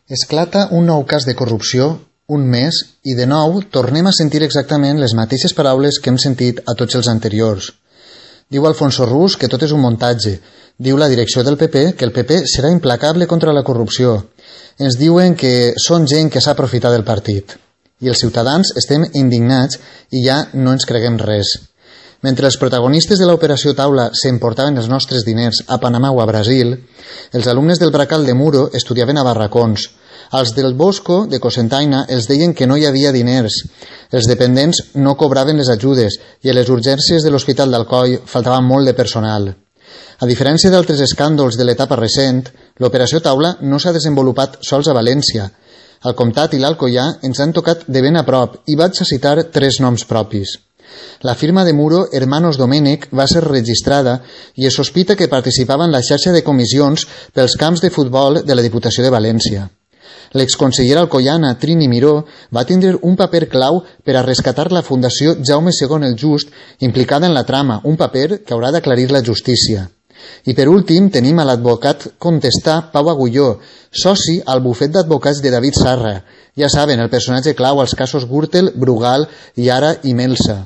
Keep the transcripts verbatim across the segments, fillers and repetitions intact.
Esclata un nou cas de corrupció, un mes, i de nou tornem a sentir exactament les mateixes paraules que hem sentit a tots els anteriors. Diu Alfonso Rus que tot és un muntatge. Diu la direcció del P P que el P P serà implacable contra la corrupció. Ens diuen que són gent que s'ha aprofitat del partit. I els ciutadans estem indignats i ja no ens creguem res. Mentre els protagonistes de l'operació Taula s'emportaven els nostres diners a Panamà o a Brasil, els alumnes del Bracal de Muro estudiaven a barracons. Als del Bosco, de Cocentaina, els deien que no hi havia diners. Els dependents no cobraven les ajudes i a les urgències de l'Hospital d'Alcoi faltava molt de personal. A diferència d'altres escàndols de l'etapa recent, l'operació Taula no s'ha desenvolupat sols a València. El Comtat i l'Alcoià ens han tocat de ben a prop i vaig a citar tres noms propis. La firma de Muro, Hermanos Domènech, va ser registrada i es sospita que participava en la xarxa de comissions pels camps de futbol de la Diputació de València. L'exconsellera alcoiana Trini Miró va tindre un paper clau per a rescatar la Fundació Jaume segon el Just implicada en la trama, un paper que haurà d'aclarir la justícia. I per últim tenim a l'advocat contestà Pau Agulló, soci al bufet d'advocats de David Sarra. Ja saben, el personatge clau als casos Gürtel, Brugal i ara Imelsa.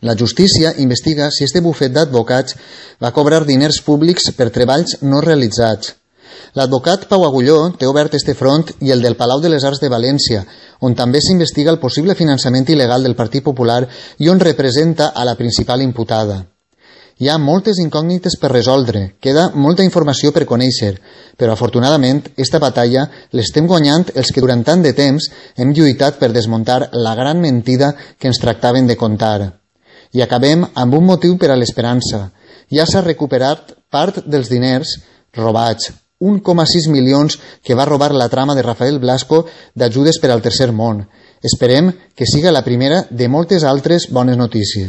La justícia investiga si este bufet d'advocats va cobrar diners públics per treballs no realitzats. L'advocat Pau Agulló té obert este front i el del Palau de les Arts de València, on també s'investiga el possible finançament il·legal del Partit Popular i on representa a la principal imputada. Hi ha moltes incògnites per resoldre, queda molta informació per conèixer, però afortunadament esta batalla l'estem guanyant els que durant tant de temps hem lluitat per desmuntar la gran mentida que ens tractaven de contar. I acabem amb un motiu per a l'esperança. Ja s'ha recuperat part dels diners robats, un coma sis milions que va robar la trama de Rafael Blasco d'ajudes per al Tercer Món. Esperem que siga la primera de moltes altres bones notícies.